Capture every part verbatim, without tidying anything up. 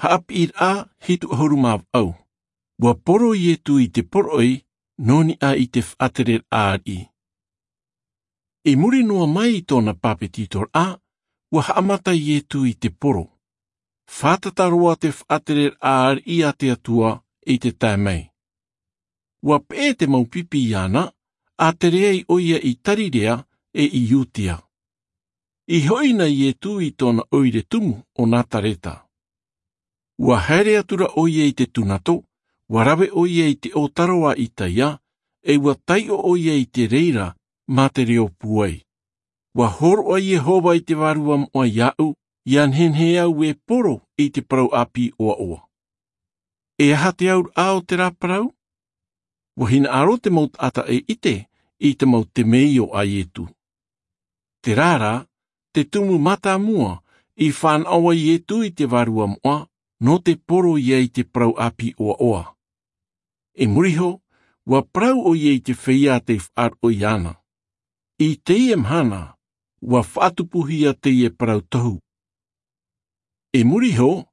Haʻapiʻiraʻa hitu ʻahuru mā vaʻu. Ua poro iesu i te poroʻi nō niʻa i te faʻatereraʻa ariʻi. I muri noa mai i tōna pāpetitoraʻa, ua haʻamata iesu i te poro. Fātata roa te faʻatereraʻa ariʻi a te atua i te tae mai. Ua peʻe te mau pipi iāna, a tere ai ʻoia i galileia e i iudea. I hoʻi na iesu i tōna ʻoire tumu o nazareta. Ua haere atu ra ʻoia i te tunato, ua rave ʻoia i te ʻōtaro a isaia, e ua taiʻo ʻoia i te reira mā te reo pūai. Ua hōroʻa iehova i te vārua moʻa iāʻu, ia nehenehe au e poro i te parau ʻāpī ʻoaʻoa. E aha te auraʻa o te rā parau? Ua hinaʻaro te mau taʻata e ʻite i te mau temeio a iesu. Terā rā, te tumu mātāmua i fānaʻo ai iesu i te vārua moʻa nō te poro ia i te parau ʻāpī ʻoaʻoa. I muri iho, ua parau ʻoia i te feiā tei faʻaroʻo iāna. I teie mahana, ua faʻatupuhia teie parau tohu. I muri iho,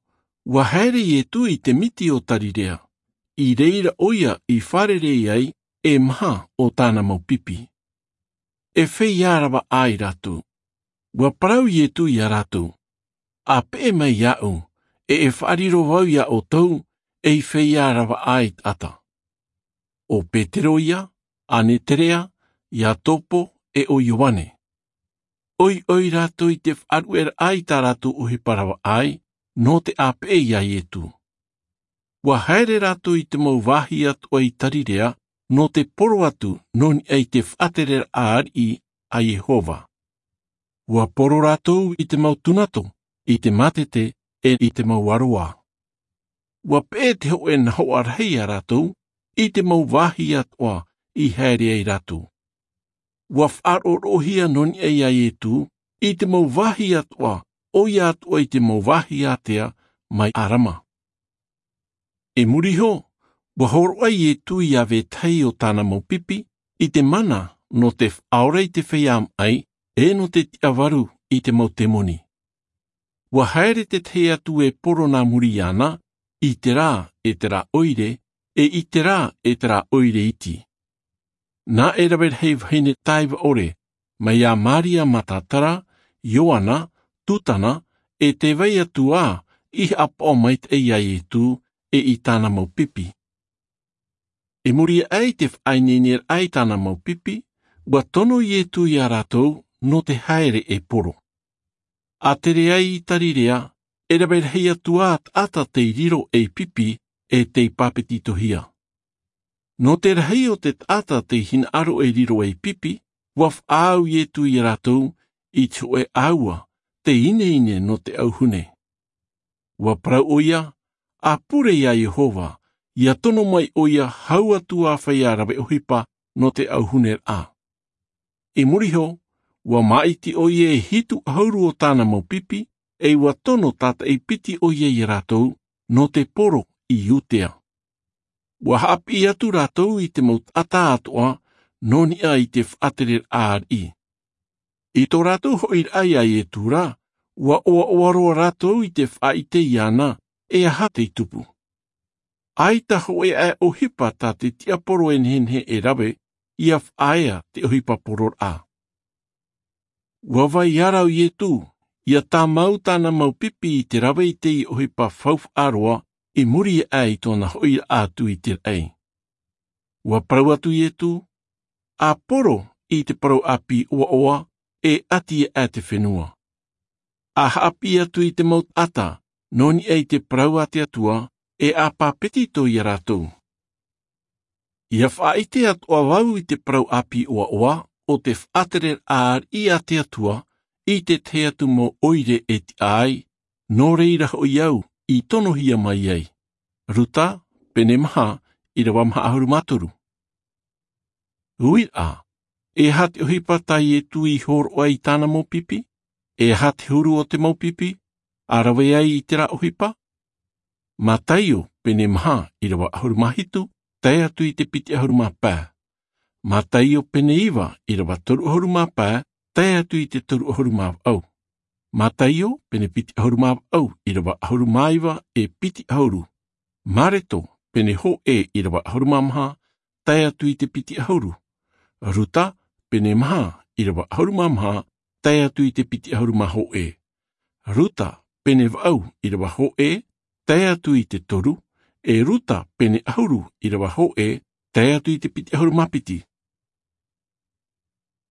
ua haere iesu i te miti o galileia, i reira ʻoia i fārerei ai e maha o tāna mau pipi. E feiā ravaʻai rātou. Ua parau iesu iā rātou, a peʻe mai iāʻu, e e faʻariro vau iā ʻoutou ei feiā ravaʻai taʻata. O petero ia, aneterea, iakobo, e o ioane. ʻOiʻoi rātou i te faʻaruʻeraʻa i tā rātou ʻohipa ravaʻai nō te ʻāpeʻe iā iesu. Ua haere rātou i te mau vāhi atoʻa i galileia nō te poro atu nō niʻa i te faʻatereraʻa ariʻi a iehova. Ua poro rātou i te mau tunato, i te mātete, e i te mau aroā. Ua peʻe te hōʻē nahoʻa rahi iā rātou i te mau vāhi atoʻa i haere ai rātou. Ua faʻaroʻoroʻohia nō niʻa iā iesu i te mau vāhi atoʻa, ʻoia atoʻa i te mau vāhi ātea mai arama. I muri iho, ua hōroʻa iesu iā vetahi o tāna mau pipi i te mana nō te faʻaora i te feiā maʻi, e nō te tiʻavaru i te mau temoni. Ua haere te tahi atu e poro nā muri iāna, i terā e terā ʻoire, e i terā e terā ʻoire iti. Nā e rave rahi vahine taiva ʻore, mai iā maria matatara, ioana, susana, e tē vai atu ā i haʻapaʻo maitaʻi iā iesu, e i tāna mau pipi. I muri aʻe i te faʻaineineraʻa i tāna mau pipi, ua tono iesu iā rātou nō te haere e poro. A tere ai i galileia, e rave rahi atu ā taʻata tei riro ei pipi, e tei pāpetitohia. Nō te rahi o te taʻata tei hinaʻaro e riro ei pipi, ua faʻaau iesu iā rātou i te hōʻē ʻāua, te ineine nō te ʻauhune. Ua parau ʻoia, a pure iā iehova, ia tono mai ʻoia hau atu ā feiā rave ʻohipa nō te ʻauhuneraʻa. I muri iho, ua māʻiti ʻoia e hitu ʻahuru o tāna mau pipi, e ua tono tātaʻi piti ʻoia iā rātou nō te poro i iudea. Ua haʻapiʻi atu rātou i te mau taʻata atoʻa nō niʻa i te faʻatereraʻa ariʻi. I tō rātou hoʻiraʻa iā iesu rā, ua ʻoaʻoa roa rātou i te faʻaʻite iāna, e aha tei tupu. ʻAita hōʻē aʻe ʻohipa tā te tiaporo e nehenehe e rave, ia faʻaea te ʻohipa pororaʻa. Ua vai ara iesu, ia tāmau tāna mau pipi i te rave i te ʻohipa faufaʻa roa, i muri aʻe i tōna hoʻiraʻa atu i te raʻi. Ua parau atu iesu, a poro i te parau ʻāpī ʻoaʻoa, e ʻati aʻe te fenua. A haʻapiʻi atu i te mau taʻata nō niʻa i te parau a te atua, e a pāpetito iā rātou. Ia faʻaʻite atoʻa vau i te parau ʻāpī ʻoaʻoa o te faʻatereraʻa ariʻi a te atua, i te tahi atu mau ʻoire e tiʻa ai, nō reira hoʻi au i tonohia mai ai. Ruta, pene maha, ʻirava maha ʻahuru mā toru. Uiraʻa, e aha te ʻohipa tā iesu i hōroʻa i tāna mau pipi? E aha te huru o te mau pipi a rave ai i terā ʻohipa? Mataio, pene maha, ʻirava ʻahuru mā hitu, tae atu i te piti ʻahuru mā pae. Mataio pene iva, ʻirava toru ʻahuru mā pae, tae atu i te toru ʻahuru mā vaʻu. Mataio pene piti ʻahuru mā vaʻu ʻirava ʻahuru mā iva e piti ʻahuru. Mareto pene hōʻē ʻirava ʻahuru mā maha tae atu i te piti ʻahuru. Ruta pene maha ʻirava ʻahuru mā maha tae atu i te piti ʻahuru mā hōʻē. Ruta pene vaʻu ʻirava hōʻē tae atu i te toru. E Ruta pene ʻahuru ʻirava hōʻē tae atu i te piti ʻahuru mā piti.